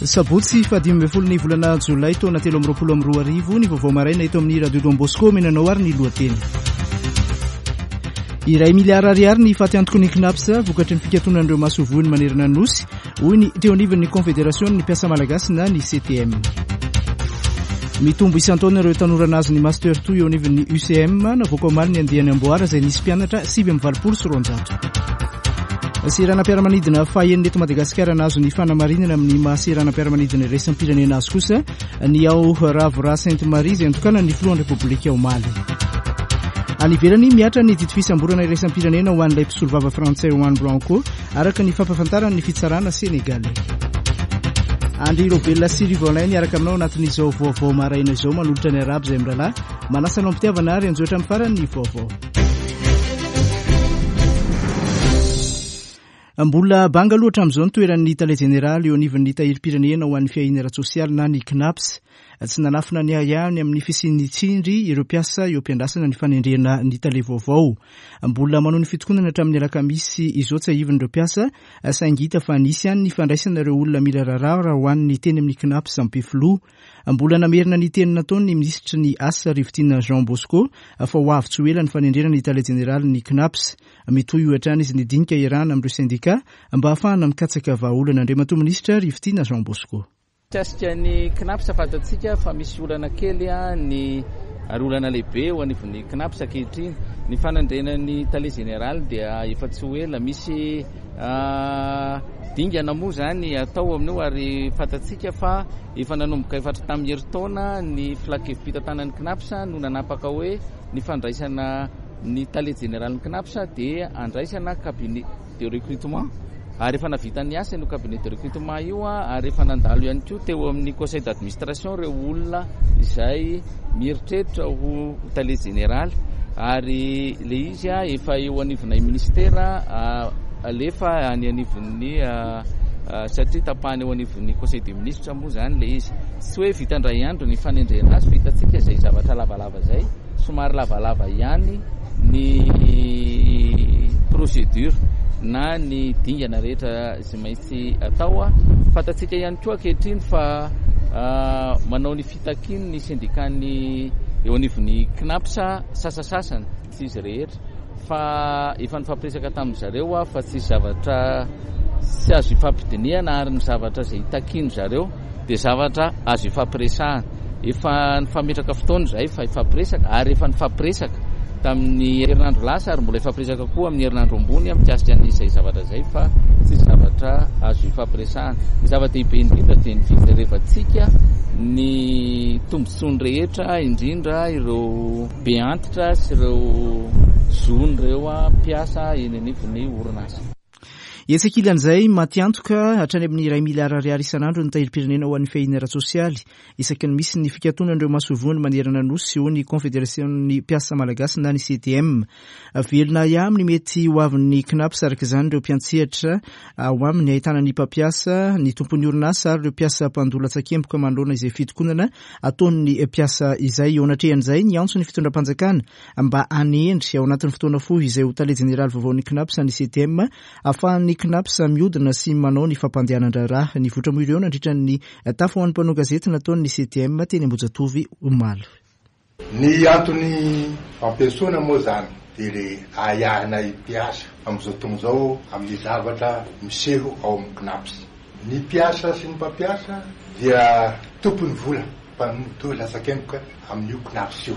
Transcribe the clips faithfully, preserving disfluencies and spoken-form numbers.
Sabotsy fahadimy ambin'ny folo ny volana jolay taona telo amby roapolo amby roa arivo ny vaovao maraina eto amin'ny Radio Don Bosco menanao ary ny lohateny. Iray miliara ariary ny fatiantoky ny CNaPS vokatry ny fikatonan'ireo masoivohony manerana ny Nosy, hoy ny teo anivon'ny Confédération ny mpiasa malagasy na ny C T M. Mitombo isan-taona ireo tanora nahazo ny Master two eo anivon'ny U C M, navoaka omaly ny andiany amboara izay nisy mpianatra sivy amby valopolo sy roanjato. Seranam-piaramanidina fahenina eto Madagasikara nahazo ny fanamarinana amin'ny maha seranam-piaramanidina iraisam-pirenena azy kosa ny ao Ravorah Sainte Marie izay nitokanan'ny filohan'ny Repoblika omaly. Any ivelany mihatra ny didy fisamborana iraisam-pirenena ho an'ilay mpisolovava frantsay Juan Branco araka ny fampahafantaran'ny fitsarana senegalais. Andry Robelina sy Rivolin niaraka aminao anatin'izao vaovao maraina izao manolotra ny arabo izay mirahalahy manasa anao am-pitiavana ary anjotra amin'ny farany ny vaovao. Mbola banga loatra amin'izao ny toeran'ny tale jeneraly eo anivon'ny tahirim-pirenena ho an'ny fiahiana ara-tsosialy na ny CNaPS. Tsy nanafina ny ahiahiny amin'ny fisian'ny tsindry ireo mpiasa eo am-piandrasana ny fanendrena ny tale vaovao. Mbola manao ny fitokonana hatramin'ny alakamisy izao tsiahivin'ireo mpiasa, saingy hita fa nisy ihany ny fandraisana ireo olona mila raharaha ho an'ny teny amin'ny CNaPS Ampefiloha. Mbola namerina ny teny nataony ny minisitry ny asa Rivotiana Jean Bosco fa ho avy tsy ho ela ny fanendrena ny tale jeneraly ny CNaPS. Mitohy io hatrany izy ny dinika iarahana amin'ireo sendika mba hahafahana mikatsaka vahaolana. Andriamatoa minisitra Rivotiana Jean Bosco. Mikasika ny CNaPS fantatsika fa misy olana kely ny ary olana lehibe ho anivon'ny CNaPS ankehitriny. Ny fanendrena ny tale jeneraly dia efa tsy ho ela, misy dingana moa zany atao amin'io ary fantatsika fa efa nanomboka efa hatramin'ny herintaona ny filan-kevi-pitantanan'ny CNaPS no nanapaka hoe ny fandraisana ny tale jeneralin'ny CNaPS dia andraisana cabinet de recrutement ary efa navita ny asa io cabinet de recrutement io ary efa nandalo ihany koa teo amin'ny conseil d'administration ireo olona izay mieritreritra ho tale jeneraly ary le izy efa eo anivon'ny ministera alefa any anivon'ny satria tapahana eo anivon'ny conseil des ministres moa zany le izy. Tsy hoe vita indray andro ny fanendrena azy fa hitantsika izay zavatra lavalava izay, somary lavalava ihany ny procédure na ny dingana rehetra izay maintsy atao. Fantatsika ihany koa ankehitriny fa manao ny fitakiany ny syndicat-ny eo anivon'ny CNaPS sasasasany, tsy izy rehetra fa efa nifampiresaka tamin'ny zareo fa tsy zavatra tsy azo ifampidinihana ary ny zavatra izay takiany zareo dia zavatra azo ifampiresahana. Efa nifametraka fotoana izahay fa ifampiresaka ary efa nifampiresaka tamin'ny herinandro lasa ary mbola ifampiresaka koa amin'ny herinandro ambony mikasika an'izay zavatra izay fa tsy zavatra azo ifampiresahana. Ny zava-dehibe indrindra dia ny fijerevantsika ny tombontsoany rehetra indrindra ireo be antitra sy ireo zon'ireo mpiasa eny anivon'ny orinasa. Etsy ankilan'izay, matiantoka hatrany amin'ny iray miliara ariary isan'andro ny tahirim-pirenena ho an'ny fiahiana ara-tsosialy isaky ny misy ny fikatonan'ireo masoivohony manerana ny Nosy hoy ny Confédération-n'ny mpiasa malagasy na ny C T M. Velona ahiahy amin'ny mety ho avin'ny CNaPS araka izany ireo mpiantsehatra ao aminy ahitana ny mpampiasa, ny tompon'ny orinasa ary ireo mpiasa mpandoa latsakemboka manoloana izay fitokonana ataon'ny mpiasa izay. Eo anatrehan'izay, niantso ny fitondram-panjakana mba hanendry ao anatin'ny fotoana fohy izay ho tale jeneraly vaovaon'ny CNaPS ny C T M ahafahan'ny CNaPS mihodina sy manao ny fampandehanan-draharaha. Nivoitra moa ireo nandritra ny tafa ho an'ny mpanao gazety nataon'ny C T M teny Ambohijatovo omaly. Ny antony fampiasoana moa zany dia le ahiahinay mpiasa amin'izao fotoana izao amin'ny zavatra miseho ao amin'ny CNaPS. Ny mpiasa sy ny mpampiasa dia tompon'ny vola mpanoto latsakemboka amin'io CNaPS io.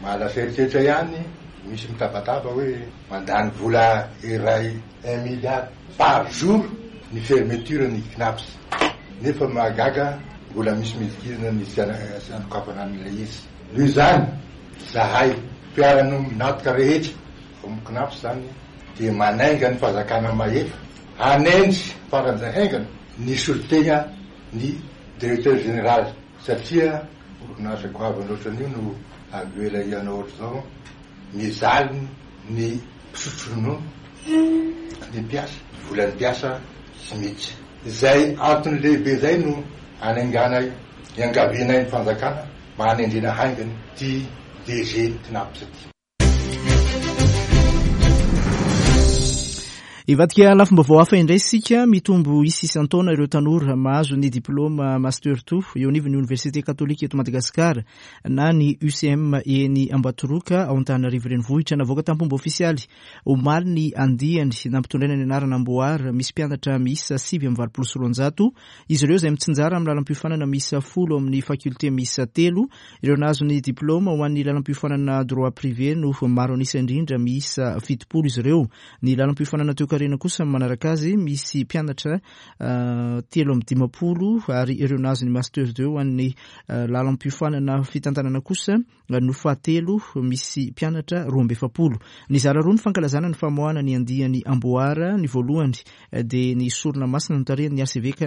Mahalasa eritreritra ihany misy mitabataba hoe mandany vola iray un milliard par jour ny fermeture ny CNaPS. Nefa mahagaga mbola misy midikidina ny tsy anokafana an'ilay izy. Noho izany zahay mpiara-miombon'antoka rehetra ao amin'ny CNaPS zany dia manainga ny fanjakana mahefa hanendry faran'izay haingana ny solontena ny directeur général satria orinasa goavana ohatran'io no avela hianao ohatr'izao mijaly ny mpisotro ronono ny mpiasa, volan'ny mpiasa tsy miditra. Izay antony lehibe izay no anainganay iangavianay ny fanjakana mba hanendrena haingana ty D G CNaPS ty. Ivadika lafim-baovao hafa indray isika. Mitombo isa isan-taona ireo tanora mahazo ny diplôma master deux eo anivon'ny Université Katolika eto Madagasikara na ny U C M eny Ambatoroka ao Antananarivo renivohitra. Navoaka tampomba ofisialy omaly ny andiany nampitondraina ny anarana Amboara, misy mpianatra miisa sivy amby valopolo sy roanjato izy ireo, izay mitsinjara amin'ny lalam-piofanana miisa folo amin'ny faculté miisa telo. Ireo nahazo ny diplôma ho an'ny lalam-piofanana droit privé no maro anisa indrindra, miisa fitopolo izy ireo. Ny lalam-piofanana toekarena kosa manaraka azy, misy mpianatra telo amby dimapolo, ary ireo nahazo ny master deux ho an'ny lalam-piofanana fitantanana kosa no fahatelo, misy mpianatra roa amby efapolo. Nizara roa ny fankalazana ny famoahana ny andiany Amboara. Ny voalohany dia ny sorona masina notarihan'ny archevêque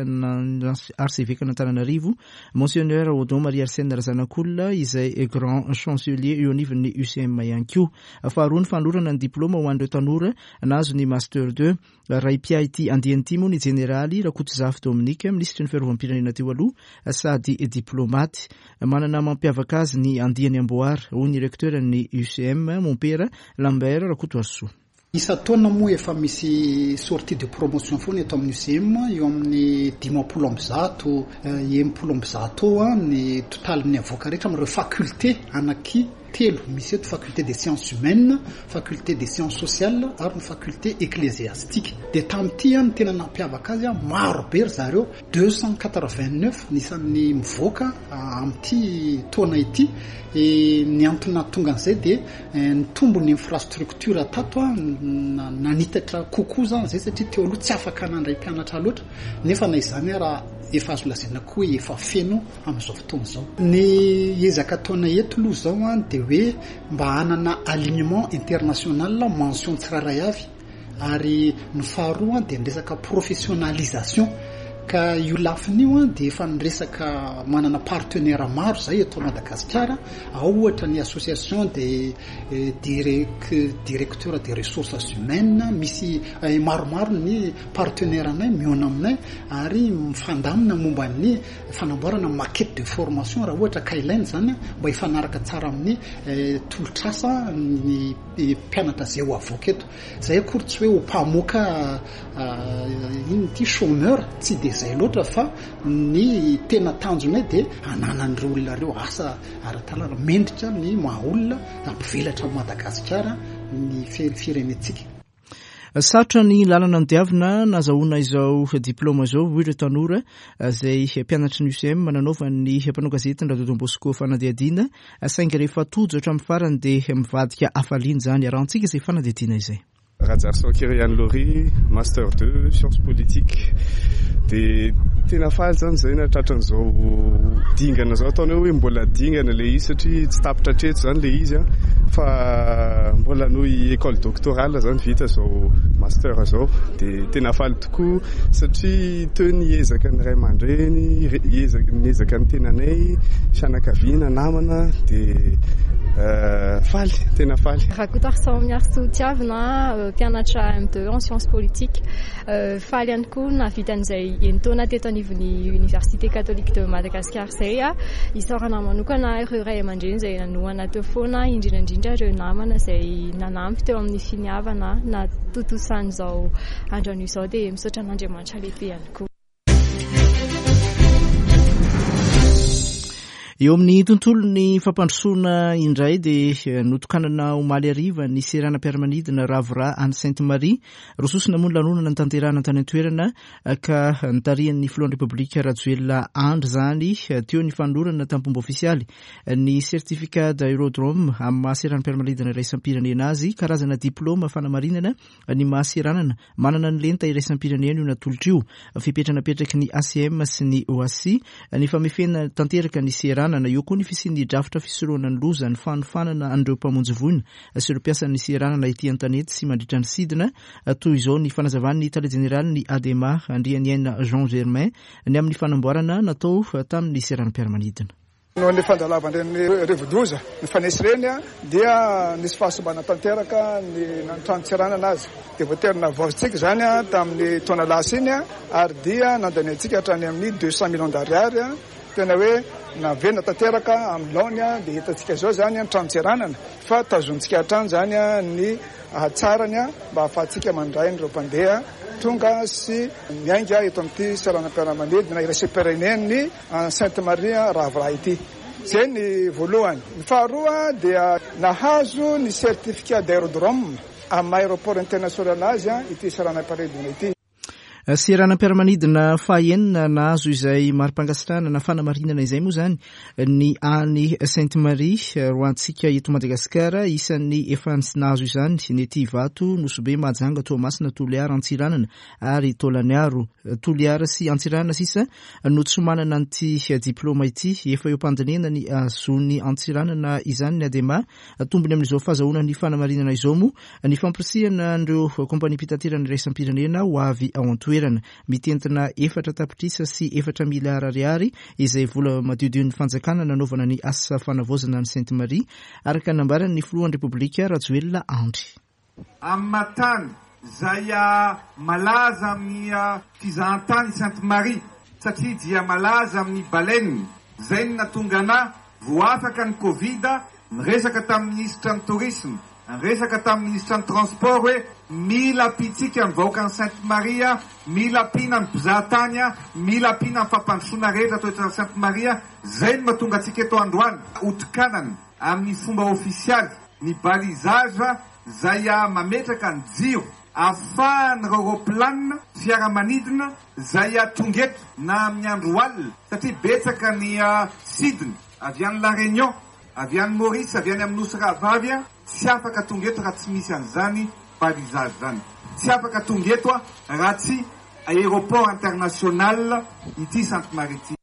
archevêque n'Antananarivo, Monseigneur Odon Marie Arsène Razanakolona, izay grand chancelier eo anivon'ny U C M ihany koa. Faharoa ny fanolorana ny diplôma ho an'ireo tanora nahazo ny master deux. Ray mpiahy ity andiany ity moa ny jeneraly Rakotozafy Dominique, minisitry ny fiarovam-pirenena teo aloha sady diplomate. Manana mampiavaka azy ny andiany Amboara, hoy ny recteur ny U C M, mompera Lambert Rakotoarisoa. Isa-taona moa efa misy sortie de promotion foana eto amin'ny U C M, eo amin'ny dimampolo amby zato, enimpolo amby zato eo a ny totalin'ny avoaka rehetra amin'ireo faculté anaky telo misy eto: faculté des sciences humaines, faculté des sciences sociales ary ny faculté ecclésiastique. De tamin'ity a ny tena nampiavaka azy a, maro be ry zareo, deux cent quatre-vingt-neuf nisan'ny mivoaka amin'ity taona ity. E ny antony tonga an'izay de nitombo ny infrastructure tato a, nanitatra kokoa zany zay, satria teo aloha tsy afaka nandray mpianatra loatra, nefa na izany raha efa azo lazaina koa hoe efa feno amin'izao fotoana izao. Ny ezaka ataona eto aloha zao a de hoe mba hanana alignement international mention tsirairay avy, ary ny faharoa de nyresaka professionnalisation. Ka io lafiny io a de efa nyresaka manana partenaire maro zay eto Madagasikara ao, ohatra ny association de directeur des ressources humaines. Misy maromaro ny partenaire anay miona aminay ary mifandamina momba ny fanamboarana maquette de formation raha ohatra ka ilaina zany, mba hifanaraka tsara amin'ny tolotrasa ny mpianatra zay ho avoaka eto. Zay akory tsy hoe ho mpamoaka ino ty chômeur, tsy de zay loatra, fa ny tena tanjonay de ananan'ireo olona reo asa ara-talana mendrika ny maha olona, ampivelatra Madagasikara ny firenentsika. Sarotra ny lalana nodiavina nazahoana izao diplôma zao, hoy ireo tanora zay mpianatry ny U C M nanaovan'ny mpanao gazety ny Radio Don Bosco fanadihadiana, saingy rehefa tojo hatramin'ny farany dia mivadika hafaliana zany. Arahantsika izay fanadihadiana izay. Rajarson Kirian Lori, master deux sciences politiques. De tena faly zany zay natratran'izao dingana zao, ataonao hoe mbola dingana le izy satria tsy tapitra hatreto zany le izy a, fa mbola noho école doctorale zany vita zao master zao. De tena faly tokoa satria teo ny ezaka ny ray aman-dreny, ezaka niezaka ny tenanay, fianakaviana, namana, de faly, tena faly. Rakotoarison Miarisoa Tiavina, mpianatra M deux en sciences politiques. Faly ihany koa nahavita an'izay enin-taona teto anivon'ny Université Catholique de Madagascar zay a. Isaorana manokana ireo ray aman-dreny izay nanohana teo foana, indrindra indrindra ireo namana izay nanampy teo amin'ny finiavana na tontosan'izao androanio izao, dia misaotra an'Andriamanitra lehibe ihany koa. Eo amin'ny tontolo ny fampandrosoana indray, dia notokanana omaly ariva ny seranam-piaramanidina Ravorah any Sainte Marie. Rososina moa ny lanonana ny tanterahana tany an-toerana ka notarihan'ny filohan'ny Repoblika Rajoelina Andry zany. Teo ny fanolorana tampomba ofisialy ny certificat d'aérodrome amin'ny maha seranam-piaramanidina iraisam-pirenena azy, karazana diplôma fanamarinana ny mahaseranana manana ny lenta iraisam-pirenena io natolotra io. Fepetra napetraky ny A C M sy ny O A C I ny famefena tanteraka ny seranana eo koa ny fisian'ny drafitra fisorohana ny loza, ny fanofanana an'ireo mpamonjy voina sy ireo mpiasan'ny seranana ety an-tanety sy mandritra ny sidina. Toy izao ny fanazavan'ny tale jeneraly ny ADEMA, Andrianiaina Jean Germain, ny amin'ny fanamboarana natao tamin'ny seranam-piaramanidina. Noho ny fandalovan'ireny rivodoza ny fanesy ireny a dia nisy fahasimbana tanteraka ny trano-tseranana azy, dia voatery navaozintsika zany a tamin'ny taona lasa iny a, ary dia nandaniantsika hatrany amin'ny deux cent millions d'ariary a. Tena hoe naverina tanteraka amin'ny laoniny, dia hitantsika izao izany ny tranon-tseranana, fa tazontsika hatrany izany ny hatsarany mba ahafahantsika mandray an'ireo mpandeha tonga sy miainga eto amin'ity seranam-piaramanidina iraisam-pirenen'ny Sainte Marie Rahaviraha ity. Izay ny voalohany. Ny faharoa dia nahazo ny certificat d'aérodrome amin'ny aéroport international azy ity seranam-piaramanidina ity. Seranam-piaramanidina fahaenina nahazo izay mari-pankasitrahana na fanamarinana izay moa izany ny any Sainte Marie ho antsika eto Madagasikara. Isan'ny efa nahazo izany ny ety Ivato, Nosy Be, Mahajanga, Toamasina, Toliara, Antsiranana ary Taolagnaro. Toliara sy Antsiranana sisa no tsy manana an'ity diplôma ity. Efa eo am-pandinihana ny ahazoan'ny Antsiranana izany ny ADEMA. Tombony amin'izao fahazahoana ny fanamarinana izao moa ny fampirisihana an'ireo kompaniam-pitaterana iraisam-pirenena ho avy ao an-toerana. Mitentina efatra tapitrisa sy efatra miliara ariary izay vola madiodion'ny fanjakana nanaovana ny asa fanavaozana ny Sainte Marie, araka ny nambaran'ny filohan'ny Repoblika Rajoelina Andry. Amin'ny tany izay malaza amin'ny fizahantany Sainte Marie, satria dia malaza amin'ny baleine, izay no nahatonga anahy voafaka ny Covid, niresaka tamin'ny minisitra ny tourisme, niresaka tamin'ny minisitra ny transport hoe mila ampiantsika ny vahoakan'i Sainte Marie, mila ampiana ny mpizahatany, mila ampiana ny fampandrosoana rehetra atao eto Sainte Marie. Izay no mahatonga antsika eto androany hotokanana amin'ny fomba ofisialy ny balisage izay mametraka ny jiro ahafahan'ireo aeroplanina fiaramanidina izay tonga eto na amin'ny andro alina, satria betsaka ny sidina avy any La Réunion, avy any Maurice, avy any amin'ny Nosy Rahavavy, tsy afaka tonga eto raha tsy misy an'izany balisage zany. Tsy afaka tonga eto raha tsy aéroport international ity Sainte Marie ity.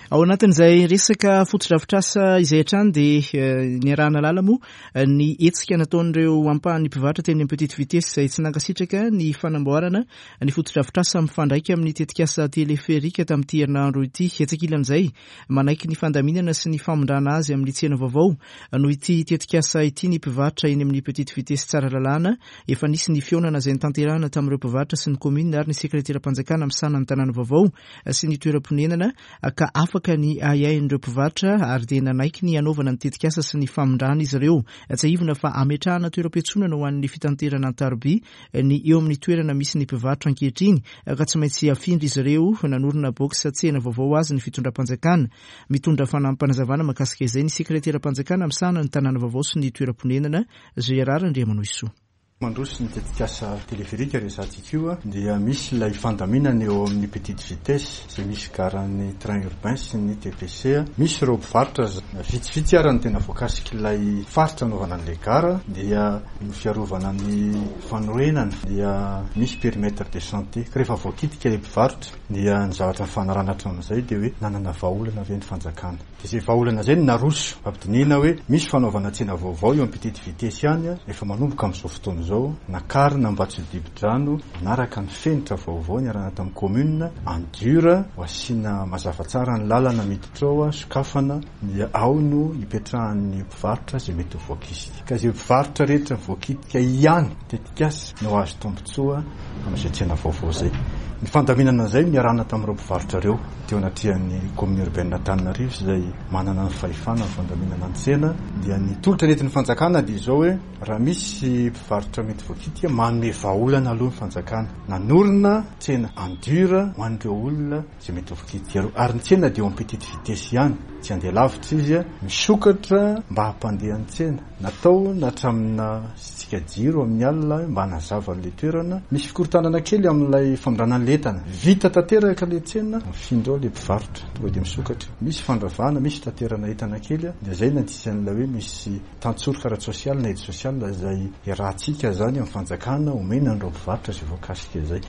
Ao anatin'izay resaka fotodrafitrasa izay hatrany dia niarahana lala moa ny hetsika nataon'ireo ampahan'ny mpivarotra teny amin'ny Petite Vitesse izay tsy nankasitraka ny fanamboarana ny fotodrafitrasa mifandraika amin'ny tetikasa teleferika tamin'ity herinandro ity. Etsy ankilan'izay, manaiky ny fandaminana sy ny famindrana azy amin'ny tsena vaovao noho ity tetikasa ity ny mpivarotra eny amin'ny Petite Vitesse Tsaralalàna. Efa nisy ny fihaonana izay notanterahana tamin'ireo mpivarotra sy ny commune ary ny sekreteram-panjakana misahana ny tanàna vaovao sy ny toeram-ponenana, ka afaka ny ahiahin'ireo mpivarotra ary dia nanaiky ny hanaovana ny tetikasa sy ny famindrana izy ireo. Tsiahivina fa ametrahana toeram-piantsonana ho an'ny fitanterana an-taroby ny eo amin'ny toerana misy ny mpivarotra ankehitriny, ka tsy maintsy afindra izy ireo. Nanorina box tsena vaovao azy ny fitondram-panjakana. Mitondra fanampinazavana mahakasika izay ny sekreteram-panjakana misahana ny tanàna vaovao sy ny toeram-ponenana, Gérard Andriamanohisoa. Mandroso ny tetikasa teleferika resahantsika io, dia misy ilay fandaminana eo amin'ny Petite Vitesse izay misy garan'ny train urbain sy ny T P C. Misy ireo mpivarotra vitsivitsy ara ny tena voakasika ilay faritra anaovana an'ilay gara, dia ny fiarovana ny fanorenana, dia misy périmètre de santé, ka rehefa voakitika ilay mpivarotra dia ny zavatra nifanarahana hatramin'izay dia hoe nanana vahaolana ve ny fanjakana, dia izay vahaolana izay no naroso ampidinihina hoe misy fanaovana tsena vaovao eo amin'ny Petite Vitesse ihany, efa manomboka amin'izao fotoana izao, nakarina mba tsy dibo-drano, manaraka ny fenitra vaovao niarahana tamin'ny commune en dur, ho asiana mazava tsara ny lalana miditra ao, sokafana, dia ao no hipetrahan'ny mpivarotra izay mety ho voakisika, ka izay mpivarotra rehetra voakitika ihany tetikasa no azo tombontsoa amin'izay tsena vaovao izay. Ny fandaminana izay niarahana tamin'ireo mpivarotra ireo teo anatrehan'ny commune urbaine Antananarivo izay manana ny fahefana ny fandaminana ny tsena, dia ny tolotra nentin'ny fanjakana dia izao hoe raha misy mpivarotra mety voakitika, manome vahaolana aloha ny fanjakana, nanorina tsena en dur ho an'ireo olona izay mety ho voakitika ireo, ary ny tsena dia eo amin'ny Petite Vitesse ihany, tsy andeha lavitra izy, misokatra mba hampandeha ny tsena, natao natramina sitsika jiro amin'ny alina mba hanazava an'ilay toerana. Misy fikorontanana kely amin'ilay famindrana ny entana, vita tanteraka ilay tsena, mifindra ao ilay mpivarotra, tonga dia misokatra, misy fandravana, misy fitaterana entana kely, dia izay no anisan'ilay hoe misy tantsoroka ara-tsosialy na aide sociale izay iarahantsika zany amin'ny fanjakana omena an'ireo mpivarotra izay voakasika izay.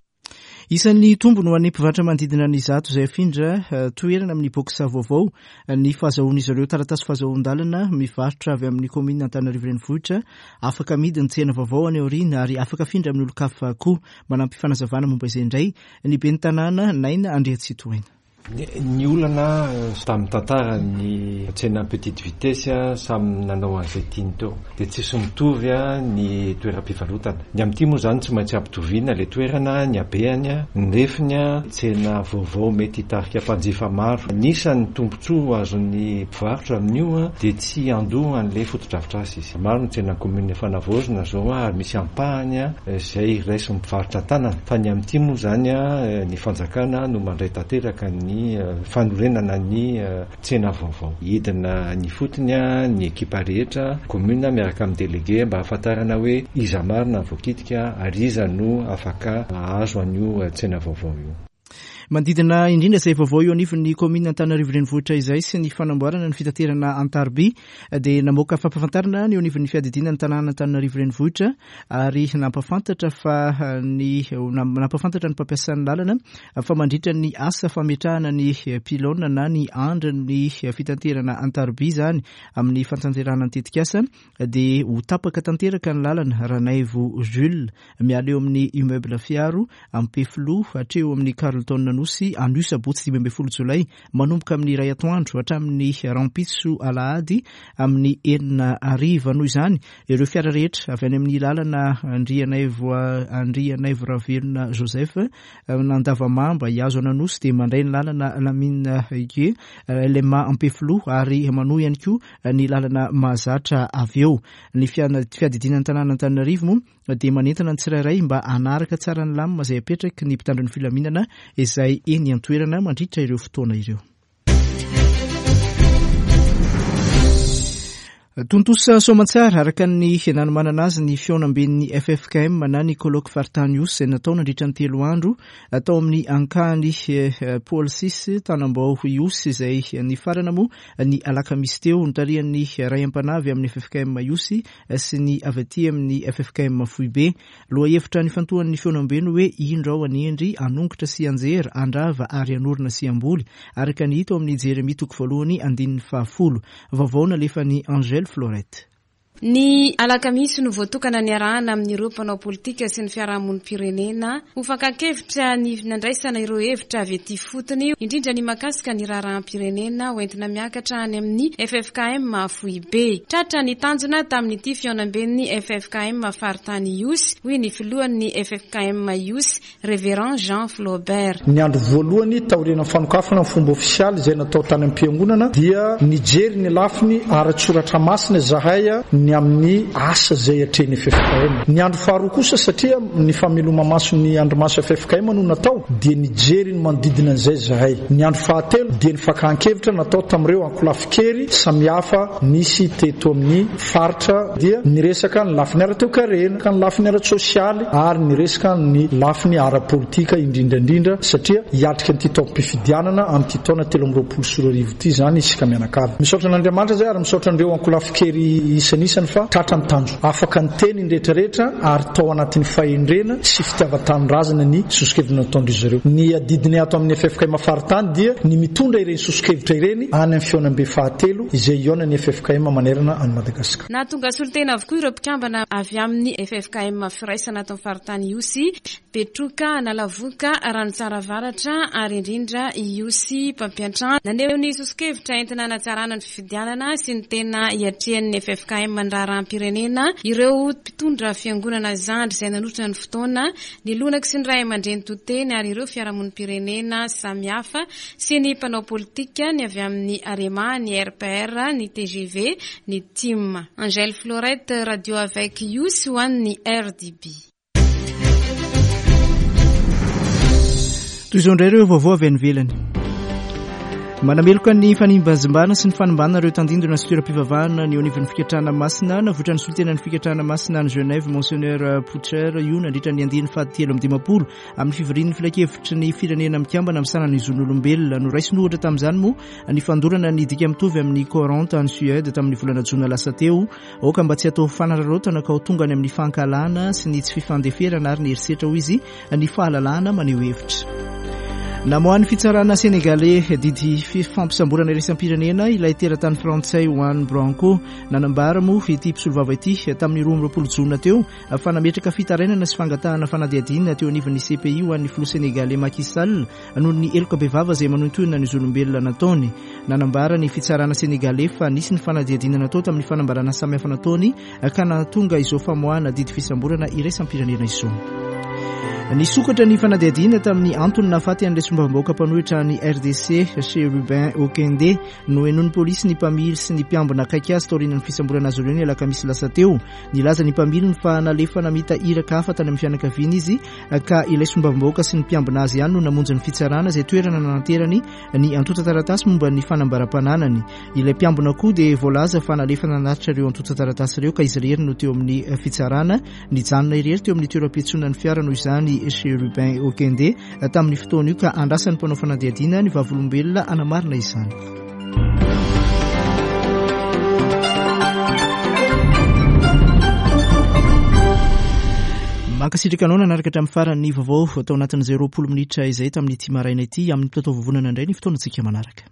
Isan'ny tombony ho an'ny mpivarotra manodidina ny zato izay afindra toerana amin'ny box vaovao ny fahazahoan'izy ireo taratasy fahazahoan-dalana mivarotra avy amin'ny commune Antananarivo Renivohitra. Afaka amidy ny tsena vaovao any aoriana ary afaka afindra amin'ny olon-kafa koa. Manampy fanazavana momba izay indray ny ben'ny tanàna Naina Andriatsitohaina. Ny olana tamin'ny tantara ny tsena petite vitesse samy nanao an'izay tiany teo, dia tsisy mitovy ny toeram-pivarotana. Ny amin'ity moa zany tsy maintsy ampitoviana ilay toerana, ny habehany, ny refiny, tsena vaovao mety hitarika mpanjifa maro. Anisan'ny tombontsoa azon'ny mpivarotra amin'io dia tsy handoa an'ilay fotodrafitrasa izy. Maro ny tsena commune efa navaozina zao ary misy ampahany izay raisin'ny mpivarotra an-tanana, fa ny amin'ity moa zany ny fanjakana no mandray tanteraka ny fanorenana ny tsena vaovao. Hidina ny fotony ny ekipa rehetra commune miaraka amin'ny délégué mba hahafantarana hoe iza marina ny voakitika ary iza no afaka hahazo an'io tsena vaovao io. Manodidina indrindra izay vaovao eo anivon'ny commune Antananarivo Renivohitra izay sy ny fanamboarana ny fitaterana an-tariby dia namoaka fampahafantarana ny eo anivon'ny fiadidiana ny tanàna Antananarivo Renivohitra ary nampahafantatra fa ny nampahafantatra ny mpampiasa ny lalana fa mandritra ny asa fametrahana ny pylône na ny andrin'ny fitaterana an-tariby izany amin'ny fanatanterahana ny tetikasa dia ho tapaka tanteraka ny lalana Ranaivo Jules miala eo amin'ny immeuble Fiaro Ampefiloha hatreo amin'ny Carlton Anosy anio sabotsy dimy ambin'ny folo jolay manomboka amin'ny iray atoandro hatramin'ny rahampitso alahady amin'ny enina hariva. Noho izany ireo fiara rehetra avy any amin'ny lalana Andrianaivo Andrianaivo Ravelona Joseph Andavamamba hiazo an'Anosy dia mandray ny lalana Lamine Gué L M A Ampefiloha ary manohy ihany koa ny lalana mahazatra avy eo. Ny fiadidiana ny tanàna Antananarivo moa dia manentana ny tsirairay mba hanaraka tsara ny lamina izay apetraky ny mpitandro ny filaminana izay eny an-toerana mandritra ireo fotoana ireo. Tontosa soamantsara araka ny nanomanana azy ny fihaonamben'ny F F K M na ny colloque faritany Ihosy izay natao nandritra ny telo andro atao amin'ny ankany Paul six Tanambao Ihosy izay nifarana moa ny alakamisy teo notarihan'ny ray am-panahy avy amin'ny F F K M Ihosy sy ny avy aty amin'ny F F K M Foibe. Lohahevitra nifantohan'ny fihaonambe ny hoe indro ao anendry hanongotra sy anjera handrava ary hanorina sy hamboly araka ny hita ao amin'ny Jeremia toko voalohany andininy fahafolo. Vaovao nalefan'i Angèle Florette. Ny alakamisy no voatokana niarahana amin'ireo mpanao politika sy ny fiarahamonim-pirenena ho fankan-kevitra ny nandraisana ireo hevitra avy ety fotony, indrindra ny mahakasika ny raharaham-pirenena hoentina miakatra any amin'ny F F K M Foibe. Tratra ny tanjona tamin'ity fihaonamben'ny F F K M faritany Ihosy, hoy ny filohan'ny F F K M Ihosy, Révérend Jean Flaubert. Ny andro voalohany taorian'ny fanokafana ny fomba ofisialy izay natao tany am-piangonana dia nijery ny lafiny ara-tsoratra masina izahay ny amin'ny asa izay atrehin'ny F F K M. Ny andro faharoa kosa satria ny fameloma-maso ny andrimaso F F K M no natao dia nijery ny manodidina an'izay zahay. Ny andro fahatelo dia ny fakan-kevitra natao tamin'ireo ankolafin-kery samihafa nisy teto amin'ny faritra dia niresaka ny lafiny ara-toekarena, ny lafiny ara-tsosialy ary niresaka ny lafiny ara-politika indrindra indrindra satria hiatrika an'ity taom-pifidianana amin'ity taona telo amby roapolo sy roa arivo ity izany isika mianakavy. Misaotra an'Andriamanitra izay ary misaotra an'ireo ankolafin-kery isan'isany fa tratra ny tanjo. Afaka niteny ny rehetrarehetra ary tao anatin'ny fahendrena sy fitiavan-tanindrazana ny soso-kevitra nataon'izy ireo. Ny adidiny ato amin'ny F F K M faritany dia ny mitondra ireny soso-kevitra ireny any amin'ny fihaonambe fahatelo izay hihaonan'ny F F K M manerana an'i Madagasikara. Nahatonga solontena avokoa ireo mpikambana avy amin'ny F F K M firaisana ato amin'ny faritany Ihosy, Betroka, Analavoka, Ranotsara Avaratra ary indrindra Ihosy mpampiantrano. Naneho ny soso-kevitra entina hanatsarana ny fifidianana sy ny tena hiatrehan'ny F F K M ny raharaham-pirenena ireo mpitondra fiangonana zandry izay nanotrona ny fotoana, ny lonaky sy ny ray aman-dreny toteny ary ireo fiarahamonim-pirenena samihafa sy ny mpanao politika ny avy amin'ny Arema, ny R P R, ny T G V, ny T I M. Angèle Florette, Radio avec Ihosy ho an'ny R D B. Toy izao indray ireo vaovao avy any ivelany. Manameloka ny fanimbazimbana sy ny fanimbana ireo tandindona sy toeram-pivavahana ny eo anivon'ny fikatrahana masina navoitra ny solontenan'ny fikatrahana masina any Genève Monseigneur Poucher io nandritra ny andiany fahatelo amby dimampolo amin'ny fivorian'ny filankevitry ny firenena mikambana amin'ny sanan'ny zon'olombelona. Noraisiny ohatra tamin'izany moa ny fandorana ny dika mitovy amin'ny Coran tany Suède tamin'ny volana jona lasa teo. Aoka mba tsy atao fanararaotana ka ho tonga any amin'ny fankahalana sy ny tsy fifandeferana ary ny herisetra hoy izy ny fahalalahana maneho hevitra. Namoahan'ny fitsarana Sénégalais didy fampisamborana iraisam-pirenena ilay teratany frantsay Juan Branco. Nanambara moa ity mpisolovava ity tamin'ny roa amby roapolo jona teo fa nametraka fitarainana sy fangatahana fanadihadiana teo anivon'ny C P I ho an'ny filoha sénégalais Macky Sall noho ny heloka bevava izay manohintohina ny zon'olombelona nataony. Nanambara ny fitsarana sénégalais fa nisy ny fanadihadiana natao tamin'ny fanambarana samihafa nataony ka nahatonga izao famoahana didy fisamborana iraisam-pirenena izao. Nisokatra ny fanadihadiana tamin'ny antony nahafaty an'ilay solombavambahoaka mpanohitra ny R D C Chérubin Okende. Nohenoin'ny polisy ny mpamily sy ny mpiambina akaiky azy taorian'ny fisamborana azy ireo ny alakamisy lasa teo. Nilaza ny mpamiliny fa nalefa namita iraka hafa tany amin'ny fianakaviana izy, ka ilay solombavambahoaka sy ny mpiambina azy ihany no namonjy ny fitsarana izay toerana nanaterany ny antontan-taratasy momba ny fanambaram-pananany. Ilay mpiambina koa dia voalaza fa nalefa nanatitra ireo antontan-taratasy ireo, ka izy irery no teo amin'ny fitsarana. Nijanona irery teo amin'ny toeram-piantsonan'ny fiara noho izany Chérubin Okende tamin'ny fotoana io, ka andrasan'ny mpanao fanadihadiana ny vavolombelona anamarina izany. Mankasitraka anao nanaraka hatramin'ny farany vaovao atao anatin'izay roapolo minitra izay tamin'ny ity maraina ity. Amin'ny mitatao vovonana indray ny fotoanantsika manaraka.